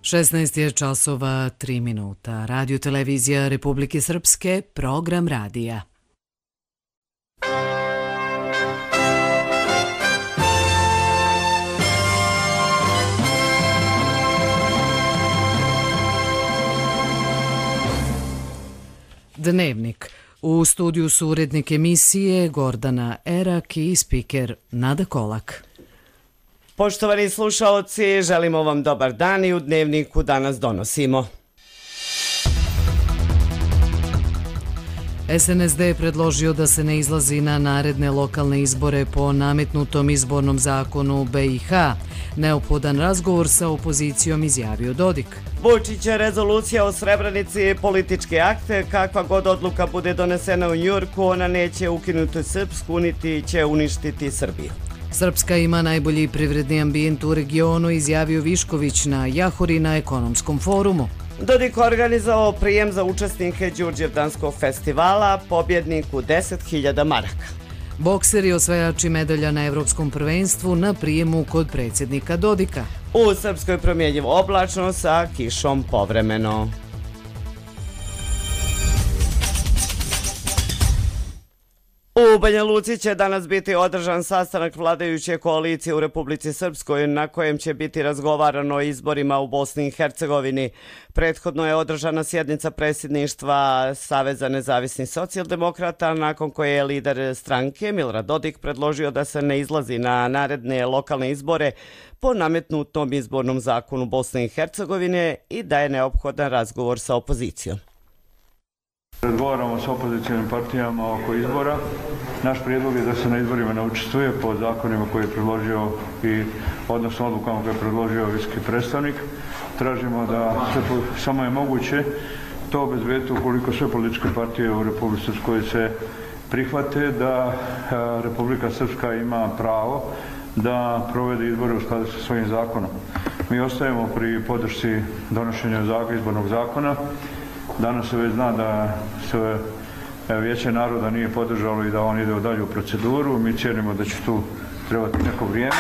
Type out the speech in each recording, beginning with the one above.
16 je časova 3 minuta. Radio televizija Republike Srpske, program radija. Dnevnik. U studiju su urednik emisije Gordana Erak i spiker Nada Kolak. Poštovani slušaoci, želimo vam dobar dan i u Dnevniku danas donosimo. SNSD je predložio da se ne izlazi na naredne lokalne izbore po nametnutom izbornom zakonu BiH. Neophodan razgovor sa opozicijom izjavio Dodik. Vučić rezolucija o Srebrenici političke akte, kakva god odluka bude donesena u Njujorku, ona neće ukinuti Srpsku, niti će uništiti Srbiju. Srpska ima najbolji privredni ambijent u regionu, izjavio Višković na Jahori na ekonomskom forumu. Dodik organizovao prijem za učesnike Đurđevdanskog festivala, pobjedniku 10.000 maraka. Bokseri osvajači medalja na Evropskom prvenstvu na prijemu kod predsjednika Dodika. U Srpskoj promjenjivo oblačno sa kišom povremeno. U Banja Luci će danas biti održan sastanak vladajuće koalicije u Republici Srpskoj na kojem će biti razgovarano o izborima u Bosni i Hercegovini. Prethodno je održana sjednica predsjedništva Saveza nezavisnih socijaldemokrata, nakon koje je lider stranke Milorad Dodik predložio da se ne izlazi na naredne lokalne izbore po nametnutom izbornom zakonu Bosne i Hercegovine i da je neophodan razgovor sa opozicijom. Razgovaramo s opozicijnim partijama oko izbora. Naš prijedlog je da se na izborima ne učestvuje po zakonima koje je predložio odnosno odlukama koje je predložio visoki predstavnik. Tražimo da samo je moguće to obezbediti ukoliko sve političke partije u Republici Srpskoj se prihvate da Republika Srpska ima pravo da provede izbore u skladu sa svojim zakonom. Mi ostajemo pri podršci donošenja izbornog zakona. Danas se već zna da se Vijeće naroda nije podržalo i da on ide u dalju proceduru. Mi cijenimo da će tu trebati neko vrijeme,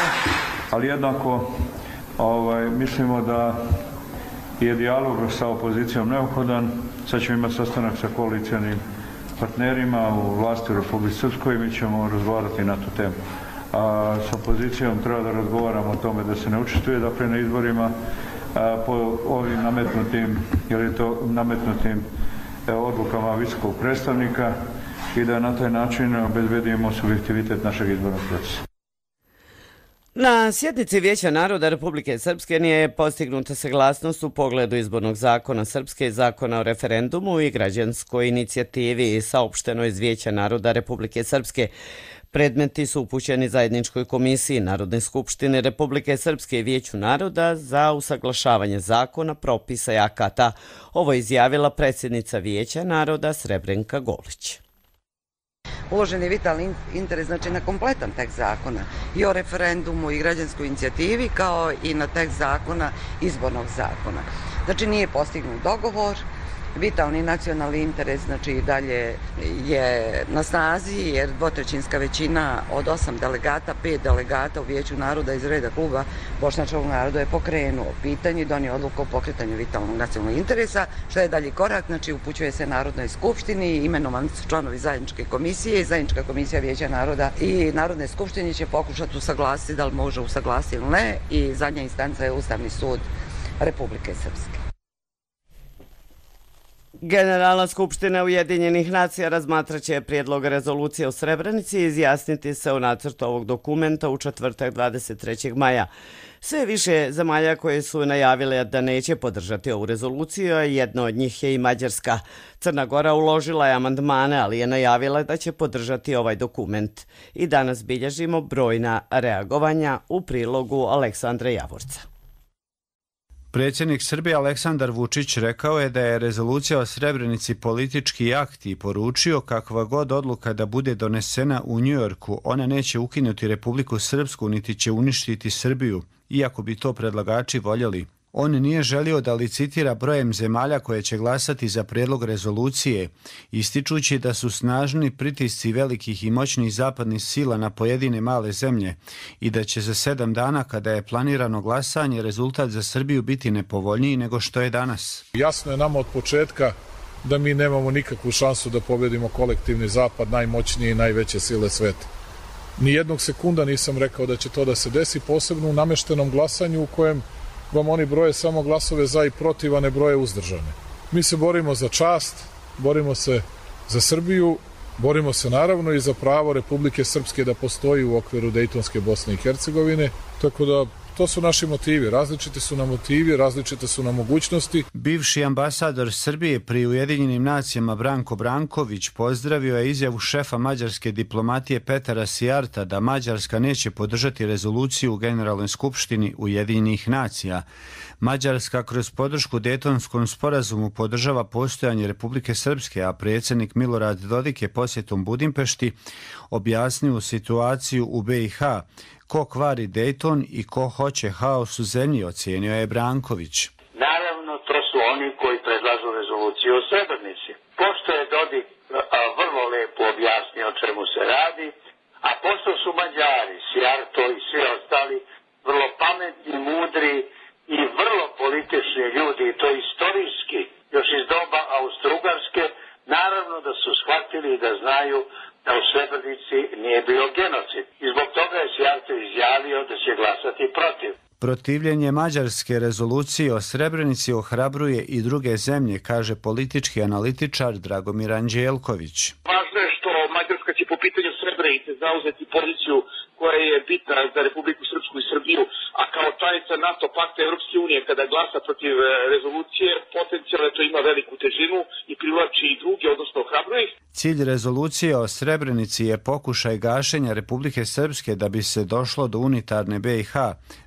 ali jednako mislimo da je dijalog sa opozicijom neophodan. Sad ćemo imati sastanak sa koalicijanim partnerima u vlasti u Republici Srpskoj i mi ćemo razgovarati na tu temu. A s opozicijom treba da razgovaramo o tome da se ne učestvuje dakle na izborima po ovim nametnutim odlukama visokog predstavnika i da na taj način obezbedimo subjektivitet našeg izbornog procesa. Na sjednici Vijeća naroda Republike Srpske nije postignuta saglasnost u pogledu izbornog zakona Srpske, zakona o referendumu i građanskoj inicijativi, saopšteno iz Vijeća naroda Republike Srpske. Predmeti su upućeni zajedničkoj komisiji Narodne skupštine Republike Srpske i Vijeću naroda za usaglašavanje zakona, propisa i akata. Ovo je izjavila predsjednica Vijeća naroda Srebrenka Golić. Uložen je vitalni interes na kompletan tekst zakona i o referendumu i građanskoj inicijativi kao i na tekst zakona, izbornog zakona. Znači nije postignut dogovor. Vitalni nacionalni interes dalje je na snazi jer dvotrećinska većina od 8 delegata, 5 delegata u Vijeću naroda iz reda kluba Bošnjačkog naroda je pokrenuo pitanje i donio odluku o pokretanju vitalnog nacionalnog interesa. Što je dalji korak? Upućuje se Narodnoj skupštini, imenovani su članovi zajedničke komisije i zajednička komisija Vijeća naroda i Narodne skupštine će pokušati usaglasiti da li može usaglasiti ili ne i zadnja instanca je Ustavni sud Republike Srpske. Generalna skupština Ujedinjenih nacija razmatraće prijedlog rezolucije o Srebrenici i izjasniti se o nacrtu ovog dokumenta u četvrtak 23. maja. Sve više zemalja koje su najavile da neće podržati ovu rezoluciju, a jedna od njih je i Mađarska. Crna Gora uložila je amandmane, ali je najavila da će podržati ovaj dokument. I danas bilježimo brojna reagovanja u prilogu Aleksandra Javorca. Predsjednik Srbije Aleksandar Vučić rekao je da je rezolucija o Srebrenici politički akt i poručio kakva god odluka da bude donesena u Njujorku, ona neće ukinuti Republiku Srpsku niti će uništiti Srbiju, iako bi to predlagači voljeli. On nije želio da licitira brojem zemalja koje će glasati za prijedlog rezolucije, ističući da su snažni pritisci velikih i moćnih zapadnih sila na pojedine male zemlje i da će za 7 dana kada je planirano glasanje rezultat za Srbiju biti nepovoljniji nego što je danas. Jasno je nama od početka da mi nemamo nikakvu šansu da pobedimo kolektivni zapad, najmoćnije i najveće sile sveta. Nijednog sekunda nisam rekao da će to da se desi, posebno u nameštenom glasanju u kojem vam oni broje samo glasove za i protiv, a ne broje uzdržane. Mi se borimo za čast, borimo se za Srbiju, borimo se naravno i za pravo Republike Srpske da postoji u okviru Dejtonske Bosne i Hercegovine, tako da to su naši motivi, različiti su nam motivi, različite su nam mogućnosti. Bivši ambasador Srbije pri Ujedinjenim nacijama Branko Branković pozdravio je izjavu šefa mađarske diplomatije Petara Sijarta da Mađarska neće podržati rezoluciju u Generalnoj skupštini Ujedinjenih nacija. Mađarska kroz podršku Dejtonskom sporazumu podržava postojanje Republike Srpske, a predsjednik Milorad Dodik je posjetom Budimpešti objasnio situaciju u BiH. Ko kvari Dejton i ko hoće haos u zemlji, ocijenio je Branković. Naravno, to su oni koji predlažu rezoluciju o Srebrenici. Pošto je Dodik vrlo lepo objasnio o čemu se radi, a pošto su Mađari, Sijarto i svi ostali vrlo pametni, mudri i vrlo politični ljudi, i to istorijski, još iz doba Austro-Ugarske, naravno da su shvatili i da znaju da u Srebrenici nije bio genocid. I zbog toga je Sijarto izjavio da će glasati protiv. Protivljenje mađarske rezolucije o Srebrenici ohrabruje i druge zemlje, kaže politički analitičar Dragomir Anđelković. Važno je što Mađarska će po pitanju Srebrenice zauzeti poziciju koja je bitna za Republiku Srpsku i Srbiju, a kao članica NATO pakta Evropske unije kada glasa protiv rezolucije, potencijalno to ima veliku težinu i privlači i druge, odnosno ohrabruje ih. Cilj rezolucije o Srebrenici je pokušaj gašenja Republike Srpske da bi se došlo do unitarne BiH,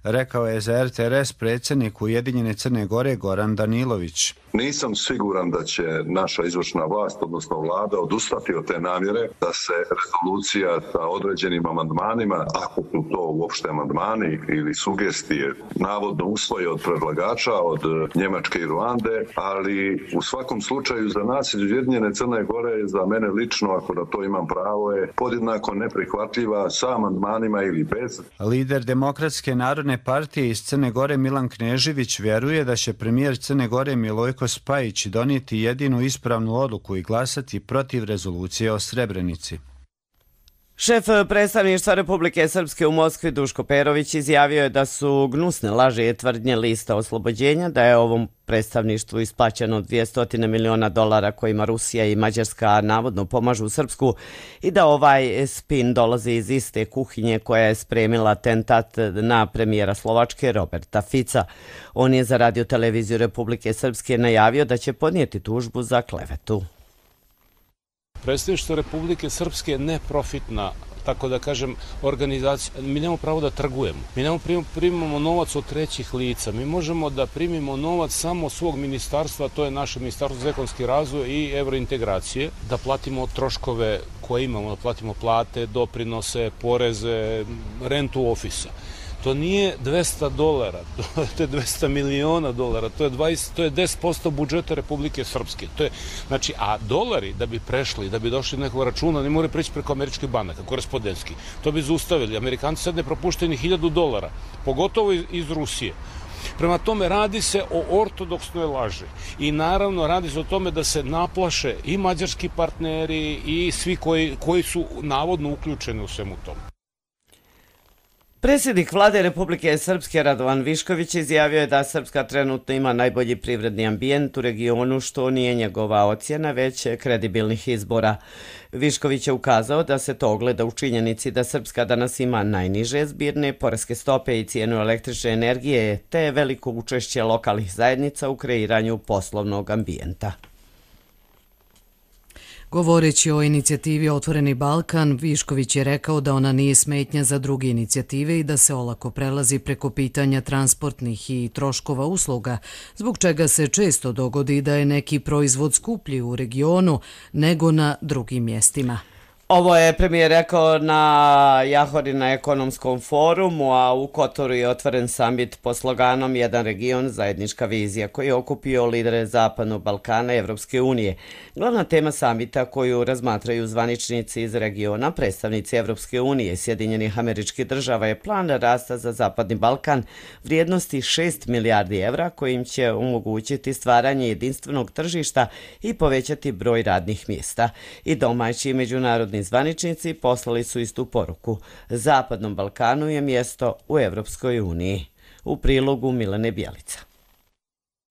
rekao je za RTRS predsjednik Ujedinjene Crne Gore Goran Danilović. Nisam siguran da će naša izvršna vlast, odnosno vlada, odustati od te namjere da se rezolucija sa određenim amandmanima, ako su to uopšte amandmani ili sugestije, navodno usvoje od predlagača, od Njemačke i Ruande, ali u svakom slučaju za nas iz Ujedinjene Crne Gore, za mene lično, ako da to imam pravo, je podjednako neprihvatljiva sa amandmanima ili bez. Lider Demokratske narodne partije iz Crne Gore Milan Knežević vjeruje da će premijer Crne Gore Milojko Spajić donijeti jedinu ispravnu odluku i glasati protiv rezolucije o Srebrenici. Šef predstavništva Republike Srpske u Moskvi Duško Perović izjavio je da su gnusne laži i tvrdnje lista oslobođenja, da je ovom predstavništvu isplaćeno $200 miliona kojima Rusija i Mađarska navodno pomažu Srpsku i da ovaj spin dolazi iz iste kuhinje koja je spremila atentat na premijera Slovačke Roberta Fica. On je za Radio-televiziju Republike Srpske najavio da će podnijeti tužbu za klevetu. Predstavništvo Republike Srpske je neprofitna, tako da kažem, organizacija. Mi nemamo pravo da trgujemo. Mi nemamo primamo novac od trećih lica. Mi možemo da primimo novac samo od svog ministarstva, to je naše ministarstvo za ekonomski razvoj i evrointegracije, da platimo troškove koje imamo, da platimo plate, doprinose, poreze, rentu ofisa. To nije $200, to je $200 miliona, to je 10% budžeta Republike Srpske. To je, znači, a dolari da bi prešli, da bi došli do nekog računa, ne moraju preći preko američkih banaka, korespondenski. To bi zaustavili. Amerikanci sad ne propuštaju ni $1000, pogotovo iz Rusije. Prema tome, radi se o ortodoksnoj laži i naravno radi se o tome da se naplaše i mađarski partneri i svi koji su navodno uključeni u svemu tomu. Predsjednik vlade Republike Srpske Radovan Višković izjavio je da Srpska trenutno ima najbolji privredni ambijent u regionu, što nije njegova ocjena, već kredibilnih izbora. Višković je ukazao da se to ogleda u činjenici da Srpska danas ima najniže zbirne poreske stope i cijenu električne energije, te veliko učešće lokalnih zajednica u kreiranju poslovnog ambijenta. Govoreći o inicijativi Otvoreni Balkan, Višković je rekao da ona nije smetnja za druge inicijative i da se olako prelazi preko pitanja transportnih i troškova usluga, zbog čega se često dogodi da je neki proizvod skuplji u regionu nego na drugim mjestima. Ovo je premijer rekao na Jahori na ekonomskom forumu, a u Kotoru je otvoren samit pod sloganom Jedan region, zajednička vizija, koji je okupio lidere Zapadnog Balkana i Evropske unije. Glavna tema samita koju razmatraju zvaničnici iz regiona, predstavnici Evropske unije i Sjedinjenih Američkih Država je plan rasta za Zapadni Balkan vrijednosti 6 milijardi evra kojim će omogućiti stvaranje jedinstvenog tržišta i povećati broj radnih mjesta. I domaći i međunarodni zvaničnici poslali su istu poruku. Zapadnom Balkanu je mjesto u Evropskoj uniji. U prilogu Milene Bjelica.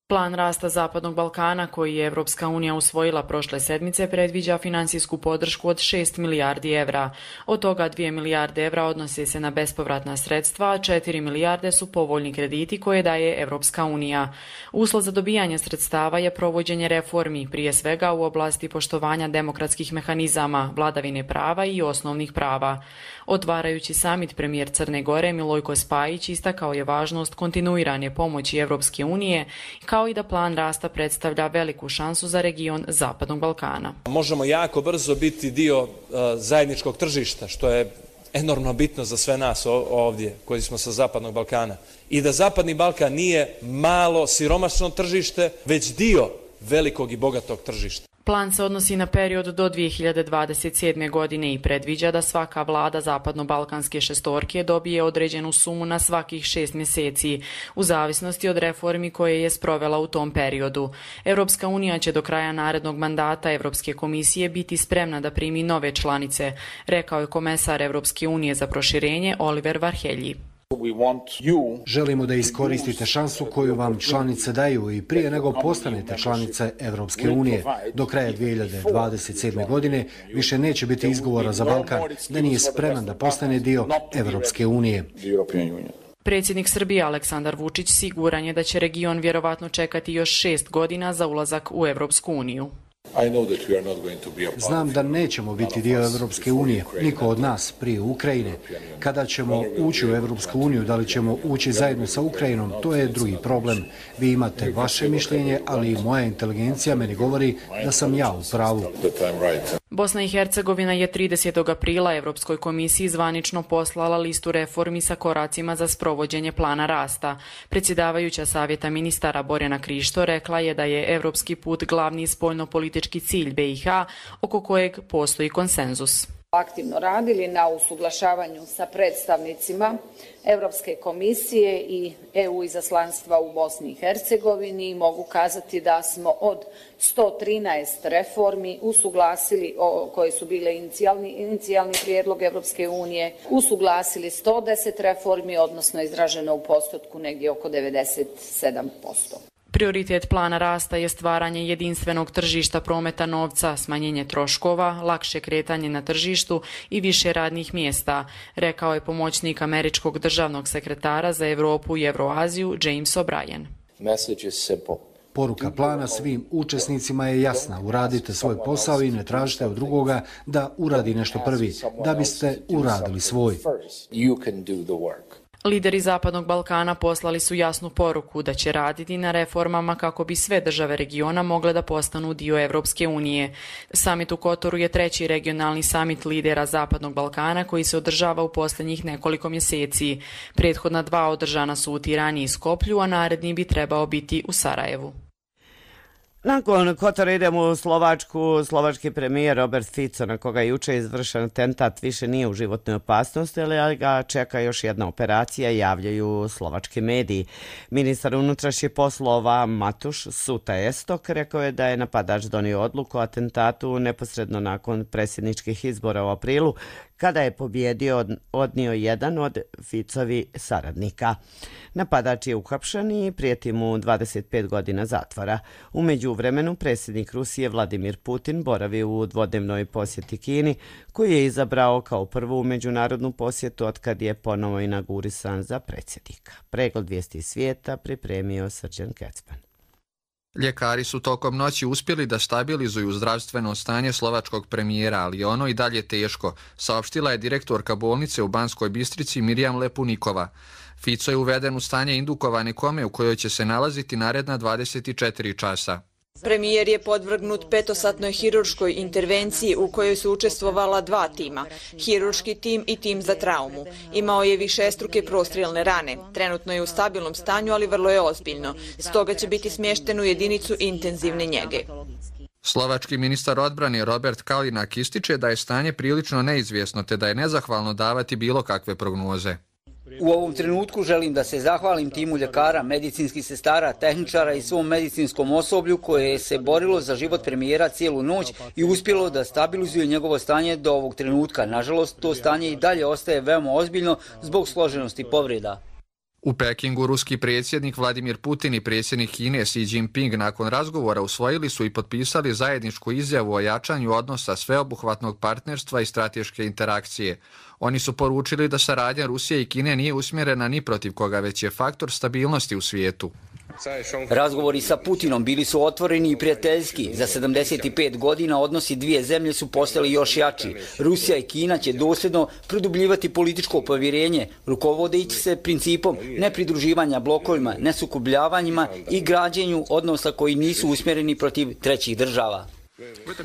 Plan rasta Zapadnog Balkana koji je Evropska unija usvojila prošle sedmice predviđa finansijsku podršku od 6 milijardi evra. Od toga 2 milijarde evra odnose se na bespovratna sredstva, a 4 milijarde su povoljni krediti koje daje Evropska unija. Uslov za dobijanje sredstava je provođenje reformi, prije svega u oblasti poštovanja demokratskih mehanizama, vladavine prava i osnovnih prava. Otvarajući samit, premijer Crne Gore Milojko Spajić istakao je važnost kontinuirane pomoći Evropske unije kao i da plan rasta predstavlja veliku šansu za region Zapadnog Balkana. Možemo jako brzo biti dio zajedničkog tržišta, što je enormno bitno za sve nas ovdje koji smo sa Zapadnog Balkana. I da Zapadni Balkan nije malo siromašno tržište, već dio velikog i bogatog tržišta. Plan se odnosi na period do 2027. godine i predviđa da svaka vlada Zapadno-Balkanske šestorke dobije određenu sumu na svakih 6 mjeseci, u zavisnosti od reformi koje je sprovela u tom periodu. Evropska unija će do kraja narednog mandata Evropske komisije biti spremna da primi nove članice, rekao je komesar Evropske unije za proširenje Oliver Varhelji. Želimo da iskoristite šansu koju vam članice daju i prije nego postanete članice Evropske unije. Do kraja 2027. godine više neće biti izgovora za Balkan da nije spreman da postane dio Evropske unije. Predsjednik Srbije Aleksandar Vučić siguran je da će region vjerovatno čekati još 6 godina za ulazak u Evropsku uniju. Znam da nećemo biti dio Evropske unije, niko od nas, prije Ukrajine. Kada ćemo ući u Evropsku uniju, da li ćemo ući zajedno sa Ukrajinom, to je drugi problem. Vi imate vaše mišljenje, ali i moja inteligencija meni govori da sam ja u pravu. Bosna i Hercegovina je 30. aprila Evropskoj komisiji zvanično poslala listu reformi sa koracima za sprovođenje plana rasta. Predsjedavajuća Savjeta ministara Borjana Krišto rekla je da je evropski put glavni spoljnopolitički cilj BiH oko kojeg postoji konsenzus. Aktivno radili na usuglašavanju sa predstavnicima Evropske komisije i EU izaslanstva u Bosni i Hercegovini i mogu kazati da smo od 113 reformi usuglasili, koje su bile inicijalni prijedlog Evropske unije, usuglasili 110 reformi, odnosno izraženo u postotku negdje oko 97%. Prioritet plana rasta je stvaranje jedinstvenog tržišta prometa novca, smanjenje troškova, lakše kretanje na tržištu i više radnih mjesta, rekao je pomoćnik američkog državnog sekretara za Europu i Euroaziju James O'Brien. Poruka plana svim učesnicima je jasna. Uradite svoj posao i ne tražite od drugoga da uradi nešto prvi, da biste uradili svoj. Lideri Zapadnog Balkana poslali su jasnu poruku da će raditi na reformama kako bi sve države regiona mogle da postanu dio Evropske unije. Samit u Kotoru je treći regionalni samit lidera Zapadnog Balkana koji se održava u posljednjih nekoliko mjeseci. Prethodna 2 održana su u Tirani i Skoplju, a naredni bi trebao biti u Sarajevu. Nakon Kotora idemo u Slovačku. Slovački premijer Robert Fico, na koga je juče izvršen atentat, više nije u životnoj opasnosti, ali ga čeka još jedna operacija, javljaju slovački mediji. Ministar unutrašnjih poslova Matuš Suta Estok rekao je da je napadač donio odluku o atentatu neposredno nakon predsjedničkih izbora u aprilu, kada je pobjedio odnio jedan od Ficovi saradnika. Napadač je uhapšen i prijeti mu 25 godina zatvora. U međuvremenu predsjednik Rusije Vladimir Putin boravi u dvodnevnoj posjeti Kini, koju je izabrao kao prvu međunarodnu posjetu otkad je ponovo inaugurisan za predsjednika. Pregled vijesti svijeta pripremio Srđan Kecman. Ljekari su tokom noći uspjeli da stabilizuju zdravstveno stanje slovačkog premijera, ali ono i dalje teško, saopštila je direktorka bolnice u Banskoj Bistrici Mirjam Lepunikova. Fico je uveden u stanje indukovane kome u kojoj će se nalaziti naredna 24 časa. Premijer je podvrgnut 5-satnoj hirurškoj intervenciji u kojoj su učestvovala 2 tima, hirurški tim i tim za traumu. Imao je višestruke prostrijelne rane. Trenutno je u stabilnom stanju, ali vrlo je ozbiljno. Stoga će biti smješten u jedinicu intenzivne njege. Slovački ministar odbrane Robert Kalinak ističe da je stanje prilično neizvjesno te da je nezahvalno davati bilo kakve prognoze. U ovom trenutku želim da se zahvalim timu ljekara, medicinskih sestara, tehničara i svom medicinskom osoblju koje se borilo za život premijera cijelu noć i uspjelo da stabilizuje njegovo stanje do ovog trenutka. Nažalost, to stanje i dalje ostaje veoma ozbiljno zbog složenosti povreda. U Pekingu ruski predsjednik Vladimir Putin i predsjednik Kine Xi Jinping nakon razgovora usvojili su i potpisali zajedničku izjavu o jačanju odnosa sveobuhvatnog partnerstva i strateške interakcije. Oni su poručili da saradnja Rusije i Kine nije usmjerena ni protiv koga, već je faktor stabilnosti u svijetu. Razgovori sa Putinom bili su otvoreni i prijateljski. Za 75 godina odnosi dvije zemlje su postali još jači. Rusija i Kina će dosljedno produbljivati političko povjerenje, rukovodeći se principom nepridruživanja blokovima, nesukobljavanjima i građenju odnosa koji nisu usmjereni protiv trećih država.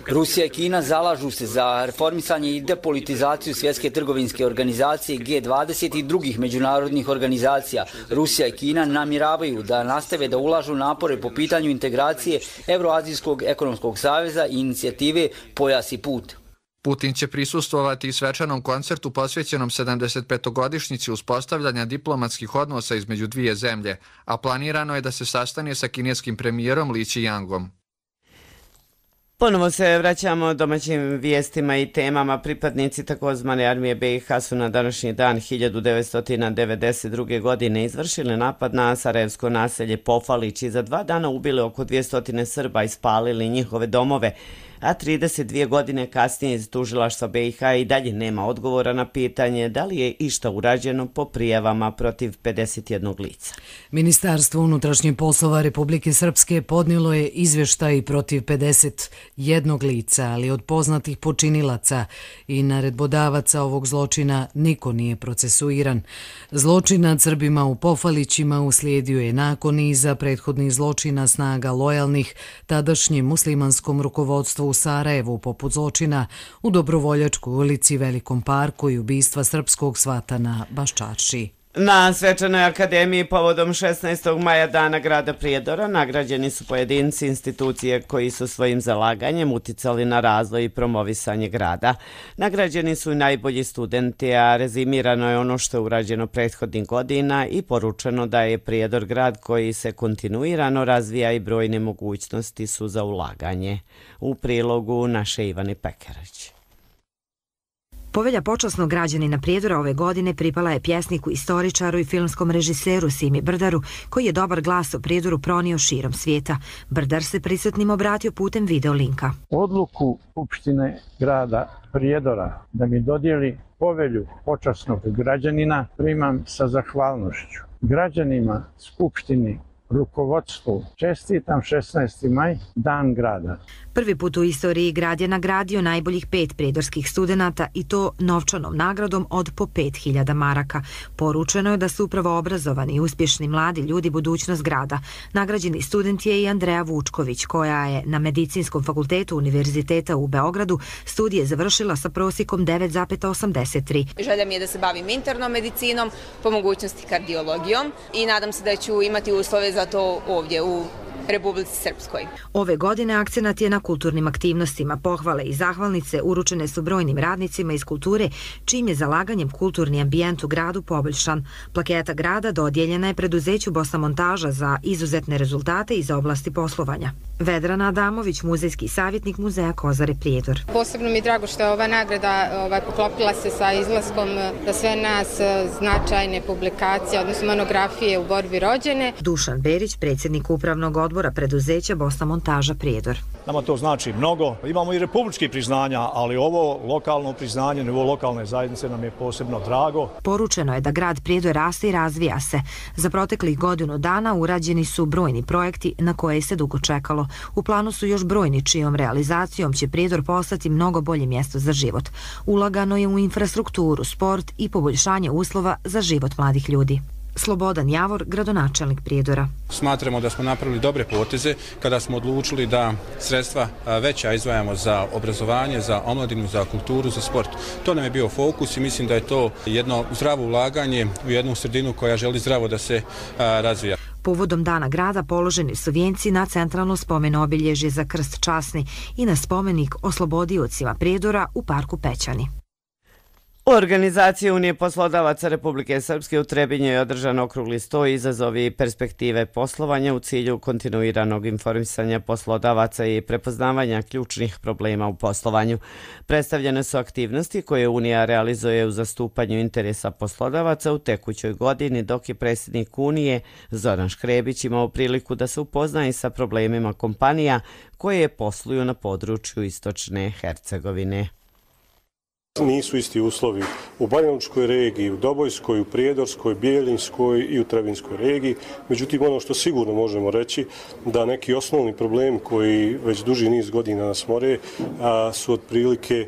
Rusija i Kina zalažu se za reformisanje i depolitizaciju Svjetske trgovinske organizacije G20 i drugih međunarodnih organizacija. Rusija i Kina namjeravaju da nastave da ulažu napore po pitanju integracije Euroazijskog ekonomskog saveza i inicijative Pojas i put. Putin će prisustvovati i svečanom koncertu posvećenom 75-godišnjici uspostavljanja diplomatskih odnosa između dvije zemlje, a planirano je da se sastane sa kineskim premijerom Li Qiangom. Ponovo se vraćamo domaćim vijestima i temama. Pripadnici takozvane armije BiH su na današnji dan 1992. godine izvršili napad na sarajevsko naselje Pofalić i za 2 dana ubili oko 200 Srba i spalili njihove domove, a 32 godine kasnije iz tužilaštva BiH i dalje nema odgovora na pitanje da li je išta urađeno po prijavama protiv 51 lica. Ministarstvo unutrašnjih poslova Republike Srpske podnijelo je izvještaj protiv 51 lica, ali od poznatih počinilaca i naredbodavaca ovog zločina niko nije procesuiran. Zločin nad Srbima u Pofalićima uslijedio je nakon niza prethodnih zločina snaga lojalnih tadašnjem muslimanskom rukovodstvu u Sarajevu, poput zločina u Dobrovoljačkoj ulici, Velikom parku i ubistva srpskog svata na Baščarši. Na Svečanoj akademiji povodom 16. maja Dana grada Prijedora nagrađeni su pojedinci institucije koji su svojim zalaganjem uticali na razvoj i promovisanje grada. Nagrađeni su i najbolji studenti, a rezimirano je ono što je urađeno prethodnih godina i poručeno da je Prijedor grad koji se kontinuirano razvija i brojne mogućnosti su za ulaganje. U prilogu naše Ivane Pekarić. Povelja počasnog građanina Prijedora ove godine pripala je pjesniku, istoričaru i filmskom režiseru Simi Brdaru, koji je dobar glas o Prijedoru pronio širom svijeta. Brdar se prisutnim obratio putem video linka. Odluku Skupštine grada Prijedora da mi dodijeli povelju počasnog građanina primam sa zahvalnošću. Građanima, Skupštini, rukovodstvu čestitam 16. maj, Dan grada. Prvi put u istoriji grad je nagradio najboljih 5 prijedorskih studenata i to novčanom nagradom od po 5000 maraka. Poručeno je da su upravo obrazovani i uspješni mladi ljudi budućnost grada. Nagrađeni student je i Andreja Vučković, koja je na Medicinskom fakultetu Univerziteta u Beogradu studije završila sa prosjekom 9,83. Želja mi je da se bavim internom medicinom, po mogućnosti kardiologijom i nadam se da ću imati uslove za to ovdje u Republici Srpskoj. Ove godine akcenat je na kulturnim aktivnostima. Pohvale i zahvalnice uručene su brojnim radnicima iz kulture, čim je zalaganjem kulturni ambijent u gradu poboljšan. Plaketa grada dodijeljena je preduzeću Bosna Montaža za izuzetne rezultate iz oblasti poslovanja. Vedrana Adamović, muzejski savjetnik Muzeja Kozare Prijedor. Posebno mi je drago što je ova nagrada poklopila se sa izlaskom za sve nas značajne publikacije, odnosno monografije u borbi rođene. Dušan Berić, predsjednik upravnog odbora preduzeća Bosna Montaža Prijedor. Nama to znači mnogo. Imamo i republički priznanja, ali ovo lokalno priznanje, nivo lokalne zajednice nam je posebno drago. Poručeno je da grad Prijedor raste i razvija se. Za proteklih godinu dana urađeni su brojni projekti na koje se dugo čekalo. U planu su još brojni čijom realizacijom će Prijedor postati mnogo bolje mjesto za život. Ulagano je u infrastrukturu, sport i poboljšanje uslova za život mladih ljudi. Slobodan Javor, gradonačelnik Prijedora. Smatramo da smo napravili dobre poteze kada smo odlučili da sredstva veća izdvajamo za obrazovanje, za omladinu, za kulturu, za sport. To nam je bio fokus i mislim da je to jedno zdravo ulaganje u jednu sredinu koja želi zdravo da se razvija. Povodom Dana grada položeni su vijenci na centralno spomen obilježje za krst časni i na spomenik oslobodiocima Prijedora u parku Pećani. U organizaciji Unije poslodavaca Republike Srpske u Trebinju je održan okrugli sto izazovi i perspektive poslovanja u cilju kontinuiranog informisanja poslodavaca i prepoznavanja ključnih problema u poslovanju. Predstavljene su aktivnosti koje Unija realizuje u zastupanju interesa poslodavaca u tekućoj godini, dok je predsjednik Unije Zoran Škrebić imao priliku da se upozna i sa problemima kompanija koje posluju na području Istočne Hercegovine. Nisu isti uslovi u Banjalučkoj regiji, u Dobojskoj, u Prijedorskoj, Bijeljinskoj i u Trebinskoj regiji. Međutim, ono što sigurno možemo reći da neki osnovni problemi koji već duži niz godina nas more su otprilike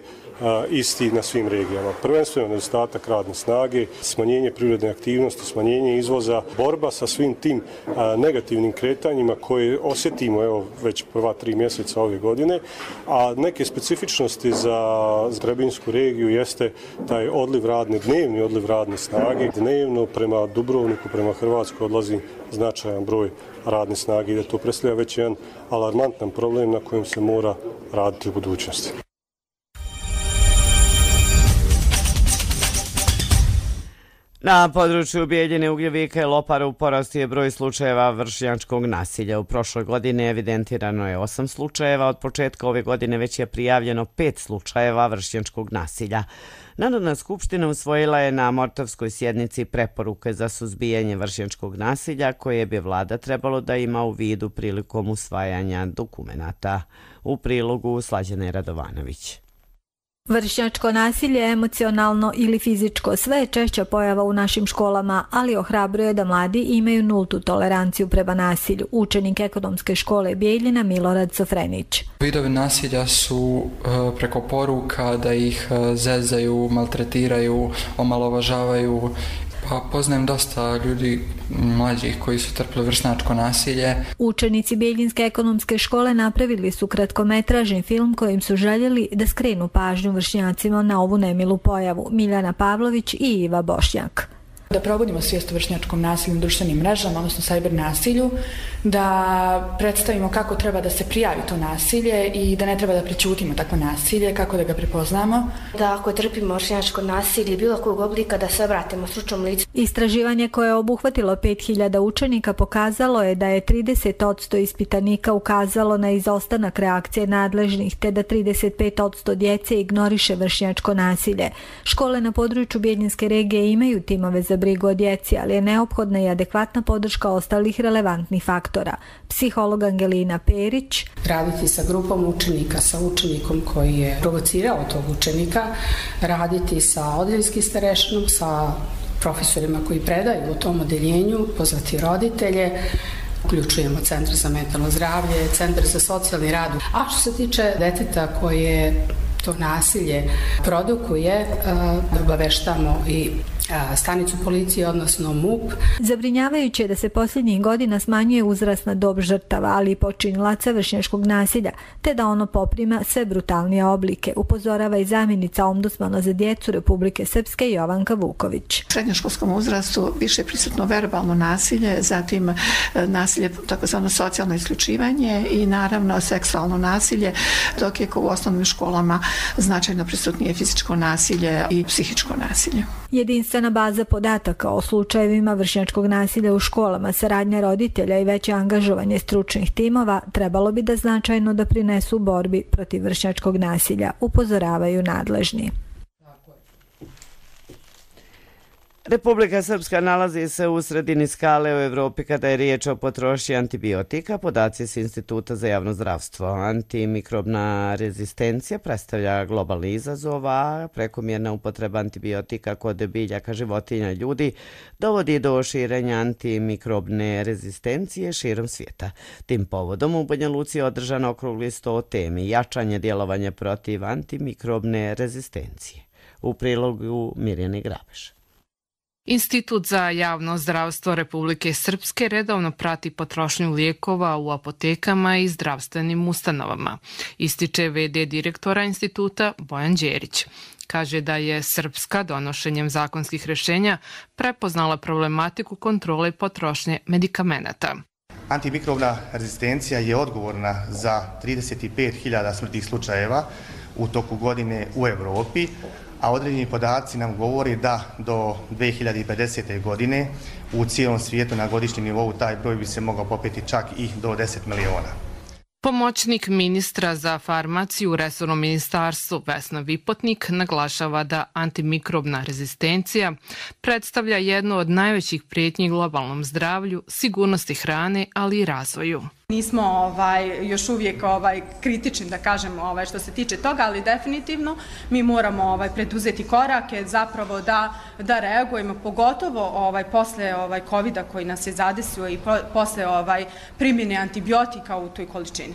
isti na svim regijama. Prvenstveno nedostatak radne snage, smanjenje privredne aktivnosti, smanjenje izvoza, borba sa svim tim negativnim kretanjima koje osjetimo evo već prva 3 mjeseca ove godine, a neke specifičnosti za Trebinsku regiju jeste taj odliv radne, dnevni odliv radne snage. Dnevno prema Dubrovniku, prema Hrvatskoj odlazi značajan broj radne snage i da to predstavlja već jedan alarmantan problem na kojem se mora raditi u budućnosti. Na području Bijeljine, Ugljevika i Lopara u porastu je broj slučajeva vršnjačkog nasilja. U prošloj godini evidentirano je 8 slučajeva, od početka ove godine već je prijavljeno 5 slučajeva vršnjačkog nasilja. Narodna skupština usvojila je na martovskoj sjednici preporuke za suzbijanje vršnjačkog nasilja koje bi vlada trebalo da ima u vidu prilikom usvajanja dokumenata. U prilogu Slađane Radovanović. Vršnjačko nasilje, emocionalno ili fizičko, sve je češća pojava u našim školama, ali ohrabruje da mladi imaju nultu toleranciju prema nasilju. Učenik ekonomske škole Bijeljina Milorad Sofrenić. Vidovi nasilja su preko poruka da ih zezaju, maltretiraju, omalovažavaju. Pa poznajem dosta ljudi mlađih koji su trpili vršnjačko nasilje. Učenici Bijeljinske ekonomske škole napravili su kratkometražni film kojim su željeli da skrenu pažnju vršnjacima na ovu nemilu pojavu. Miljana Pavlović i Iva Bošnjak. Da probudimo svijest o vršnjačkom nasilju na društvenim mrežama, odnosno cyber nasilju, da predstavimo kako treba da se prijavi to nasilje i da ne treba da prećutimo takvo nasilje, kako da ga prepoznamo. Da ako trpimo vršnjačko nasilje bilo kojeg oblika da se obratimo stručnom licu. Istraživanje koje je obuhvatilo 5000 učenika pokazalo je da je 30% ispitanika ukazalo na izostanak reakcije nadležnih, te da 35% djece ignoriše vršnjačko nasilje. Škole na području Bijeljinske regije imaju timove za brigu o djeci, ali je neophodna i adekvatna podrška ostalih relevantnih faktora. Psiholog Angelina Perić. Raditi sa grupom učenika, sa učenikom koji je provocirao tog učenika, raditi sa odeljskim starešinom, sa profesorima koji predaju u tom odeljenju, pozvati roditelje, uključujemo Centar za mentalno zdravlje, Centar za socijalni rad. A što se tiče deteta koje to nasilje produkuje, obaveštamo i stanicu policije, odnosno MUP. Zabrinjavajuće je da se posljednjih godina smanjuje uzrasna dob žrtava, ali i počinilaca vršnjačkog nasilja, te da ono poprima sve brutalnije oblike, upozorava i zamjenica ombudsmana za djecu Republike Srpske Jovanka Vuković. U srednjoškolskom uzrastu više je prisutno verbalno nasilje, zatim nasilje, takozvano socijalno isključivanje i naravno seksualno nasilje, dok je u osnovnim školama značajno prisutnije fizičko nasilje i psihičko nasilje. Jedinstvena baza podataka o slučajevima vršnjačkog nasilja u školama, saradnja roditelja i veće angažovanje stručnih timova trebalo bi da značajno doprinesu borbi protiv vršnjačkog nasilja, upozoravaju nadležni. Republika Srpska nalazi se u sredini skale u Evropi kada je riječ o potrošnji antibiotika. Podaci s Instituta za javno zdravstvo. Antimikrobna rezistencija predstavlja globalni izazov, a prekomjerna upotreba antibiotika kod biljaka, životinja i ljudi dovodi do širenja antimikrobne rezistencije širom svijeta. Tim povodom u Banja Luci je održan okrugli sto o temi jačanje djelovanja protiv antimikrobne rezistencije. U prilogu Mirjane Grabeš. Institut za javno zdravstvo Republike Srpske redovno prati potrošnju lijekova u apotekama i zdravstvenim ustanovama, ističe v.d. direktora instituta Bojan Đerić. Kaže da je Srpska donošenjem zakonskih rješenja prepoznala problematiku kontrole potrošnje medikamenata. Antimikrobna rezistencija je odgovorna za 35.000 smrtnih slučajeva u toku godine u Europi, a određeni podaci nam govori da do 2050. godine u cijelom svijetu na godišnjem nivou taj broj bi se mogao popeti čak i do 10 miliona. Pomoćnik ministra za farmaciju u resornom ministarstvu Vesna Vipotnik naglašava da antimikrobna rezistencija predstavlja jednu od najvećih prijetnji globalnom zdravlju, sigurnosti hrane, ali i razvoju. Nismo još uvijek kritični, da kažem, što se tiče toga, ali definitivno mi moramo preduzeti korake zapravo da reagujemo, pogotovo posle COVID-a koji nas je zadesio i posle primjene antibiotika u toj količini.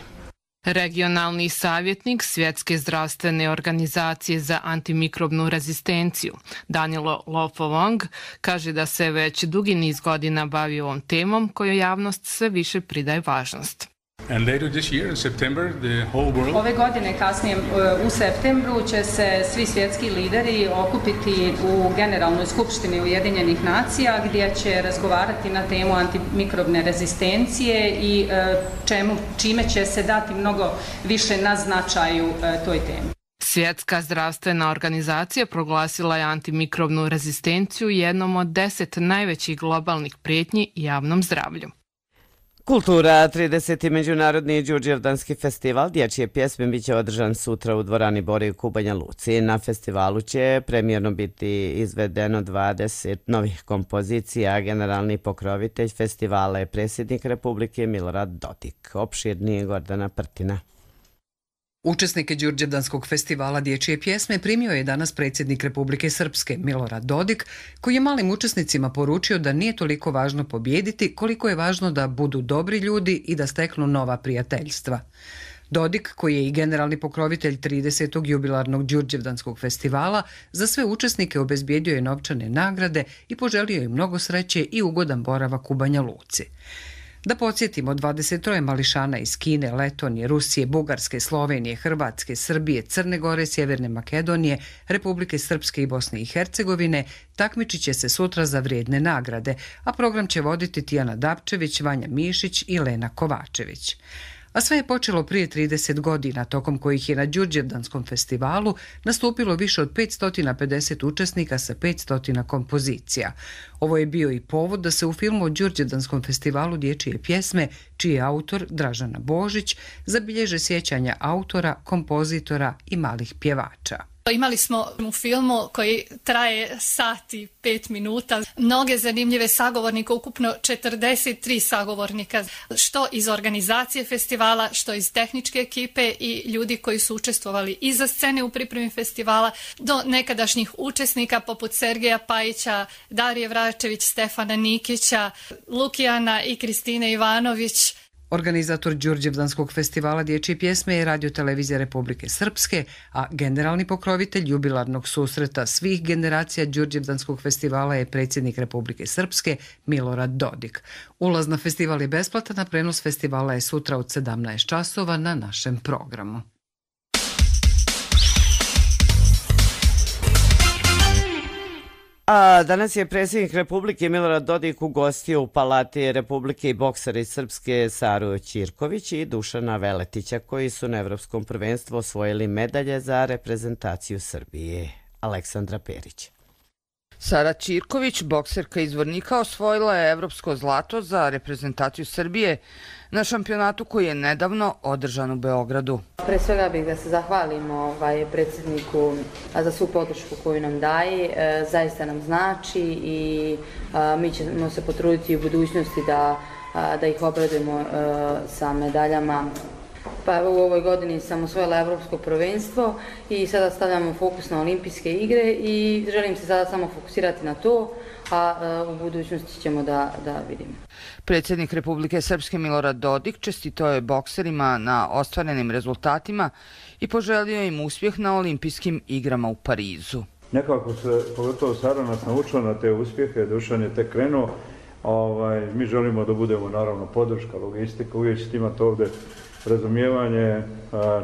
Regionalni savjetnik Svjetske zdravstvene organizacije za antimikrobnu rezistenciju Danilo Lofovong kaže da se već dugi niz godina bavi ovom temom kojoj javnost sve više pridaje važnost. Ove godine, kasnije u septembru, će se svi svjetski lideri okupiti u Generalnoj skupštini Ujedinjenih nacija gdje će razgovarati na temu antimikrobne rezistencije i čime će se dati mnogo više na značaju toj temi. Svjetska zdravstvena organizacija proglasila je antimikrobnu rezistenciju jednom od 10 najvećih globalnih prijetnji javnom zdravlju. Kultura, 30. međunarodni Đurđevdanski festival dječje pjesme biće održan sutra u dvorani Borivka u Banja Luci. Na festivalu će premijerno biti izvedeno 20 novih kompozicija. Generalni pokrovitelj festivala je predsjednik Republike Milorad Dodik. Opširnije Gordana Prtina. Učesnike Đurđevdanskog festivala dječje pjesme primio je danas predsjednik Republike Srpske Milorad Dodik, koji je malim učesnicima poručio da nije toliko važno pobijediti koliko je važno da budu dobri ljudi i da steknu nova prijateljstva. Dodik, koji je i generalni pokrovitelj 30. jubilarnog Đurđevdanskog festivala, za sve učesnike obezbijedio je novčane nagrade i poželio im mnogo sreće i ugodan boravak u Banja Luci. Da podsjetimo, 23 mališana iz Kine, Letonije, Rusije, Bugarske, Slovenije, Hrvatske, Srbije, Crne Gore, Sjeverne Makedonije, Republike Srpske i Bosne i Hercegovine takmičit će se sutra za vrijedne nagrade, a program će voditi Tijana Dapčević, Vanja Mišić i Lena Kovačević. A sve je počelo prije 30 godina, tokom kojih je na Đurđevdanskom festivalu nastupilo više od 550 učesnika sa 500 kompozicija. Ovo je bio i povod da se u filmu o Đurđevdanskom festivalu dječje pjesme, čiji je autor Dražana Božić, zabilježe sjećanja autora, kompozitora i malih pjevača. Imali smo u filmu koji traje sat i 5 minuta. Mnoge zanimljive sagovornike, ukupno 43 sagovornika, što iz organizacije festivala, što iz tehničke ekipe i ljudi koji su učestvovali iza scene u pripremi festivala, do nekadašnjih učesnika poput Sergeja Pajića, Darije Vračević, Stefana Nikića, Lukijana i Kristine Ivanović. Organizator Đurđevdanskog festivala dječje pjesme je Radio-televizija Republike Srpske, a generalni pokrovitelj jubilarnog susreta svih generacija Đurđevdanskog festivala je predsjednik Republike Srpske Milorad Dodik. Ulaz na festival je besplatan, a prenos festivala je sutra od 17 časova na našem programu. A danas je predsjednik Republike Milorad Dodik ugostio u Palati Republike i boksera iz Srpske Saru Ćirković i Dušana Veletića, koji su na Evropskom prvenstvu osvojili medalje za reprezentaciju Srbije. Aleksandra Perić. Sara Ćirković, bokserka iz Vornika, osvojila je evropsko zlato za reprezentaciju Srbije na šampionatu koji je nedavno održan u Beogradu. Pre svega bih da se zahvalimo predsjedniku za svu podršku koju nam daje, zaista nam znači i mi ćemo se potruditi u budućnosti da ih obradujemo sa medaljama. Pa u ovoj godini sam osvojila evropsko prvenstvo i sada stavljamo fokus na olimpijske igre i želim se sada samo fokusirati na to, a u budućnosti ćemo da vidimo. Predsjednik Republike Srpske Milorad Dodik čestitao je bokserima na ostvarenim rezultatima i poželio im uspjeh na olimpijskim igrama u Parizu. Nekako se, pogotovo Sara nas naučila na te uspjehe, Dušan je tek krenuo. Mi želimo da budemo naravno podrška, logistika, uvijek ćete imati ovdje razumijevanje,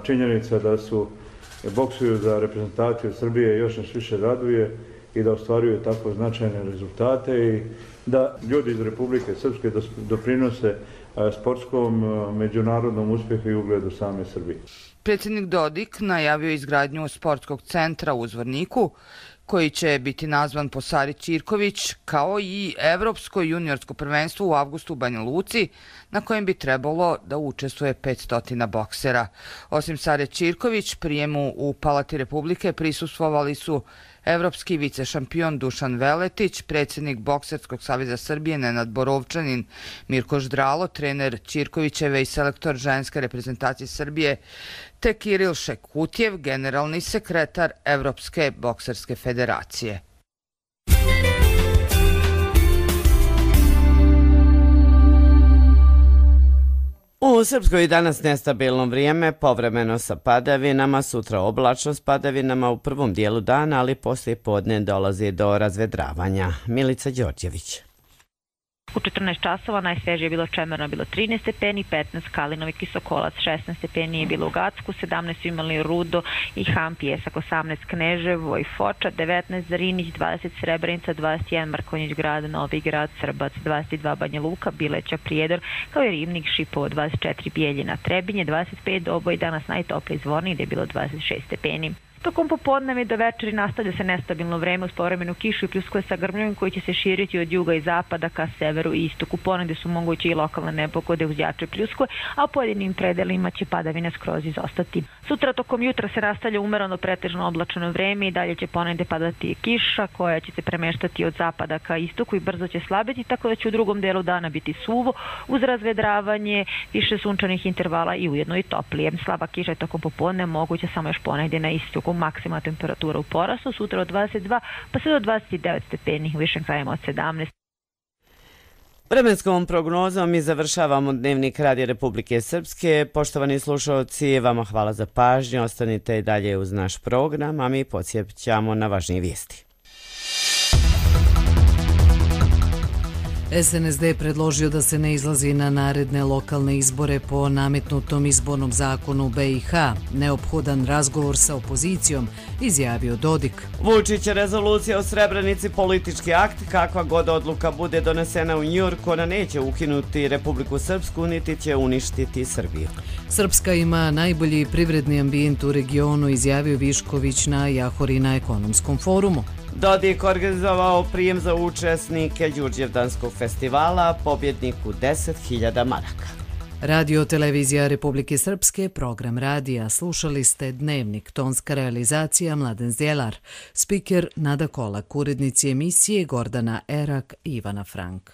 činjenica da su boksuju za reprezentaciju Srbije još nas više raduje i da ostvaruju tako značajne rezultate i da ljudi iz Republike Srpske doprinose sportskom, međunarodnom uspjehu i ugledu same Srbije. Predsjednik Dodik najavio izgradnju sportskog centra u Zvorniku, koji će biti nazvan po Sari Ćirković, kao i Evropsko juniorsko prvenstvo u avgustu u Banja Luci, na kojem bi trebalo da učestvuje 500 boksera. Osim Sare Ćirković, prijemu u Palati Republike prisustvovali su evropski vicešampion Dušan Veletić, predsjednik Bokserskog saveza Srbije Nenad Borovčanin, Mirko Ždralo, trener Ćirkovićeve i selektor ženske reprezentacije Srbije, te Kiril Šekutjev, generalni sekretar Evropske bokserske federacije. U Srpskoj danas nestabilno vrijeme, povremeno sa padavinama, sutra oblačno s padavinama u prvom dijelu dana, ali poslije podne dolazi do razvedravanja. Milica Đorđević. U 14 časova najsvežije je bilo Čemerno, bilo 13 stepeni, 15 Kalinov i Kisokolac, 16 stepeni je bilo u Gacku, 17 su imali Rudo i Han Pjesak, 18 Kneževo i Foča, 19 Zarinić, 20 Srebrenica, 21 Markonjić grad, Novi grad, Srbac, 22 Banja Luka, Bileća, Prijedor, kao i Rivnik, Šipovo, 24 Bijeljina, Trebinje, 25 Doboj, danas najtopliji Zvornik gdje je bilo 26 stepeni. Tokom popodneva i do večeri nastavlja se nestabilno vreme uz povremenu kišu i pljuskove sa grmljom koji će se širiti od juga i zapada ka severu i istoku. Ponegdje su moguće i lokalne nepogode uz jače pljuskove, a u pojedinim predelima će padavine skroz izostati. Sutra tokom jutra se nastavlja umereno pretežno oblačeno vreme i dalje će ponegdje padati kiša koja će se premeštati od zapada ka istoku i brzo će slabiti, tako da će u drugom delu dana biti suvo uz razvedravanje, više sunčanih intervala i ujedno i toplije. Slaba kiša je tokom popodne moguće samo još ponegdje na istoku. Maksimalna temperatura u porastu, sutra od 22 pa sve do 29 stepeni, u višim krajima od 17. Vremenskom prognozom i završavamo dnevnik Radija Republike Srpske. Poštovani slušalci, vama hvala za pažnju, ostanite i dalje uz naš program, a mi podsjećamo na važnije vijesti. SNSD je predložio da se ne izlazi na naredne lokalne izbore po nametnutom izbornom zakonu BiH. Neophodan razgovor sa opozicijom, izjavio Dodik. Vučić je rezolucija o Srebrenici politički akt, kakva god odluka bude donesena u Njujorku, ona neće ukinuti Republiku Srpsku, niti će uništiti Srbiju. Srpska ima najbolji privredni ambijent u regionu, izjavio Višković na Jahori na ekonomskom forumu. Dodik organizovao prijem za učesnike Đurđevdanskog festivala, pobjedniku 10.000 maraka. Radio Televizija Republike Srpske, program radija. Slušali ste Dnevnik, tonska realizacija Mladen Zdjelar, spiker Nada Kolak, urednici emisije Gordana Erak i Ivana Frank.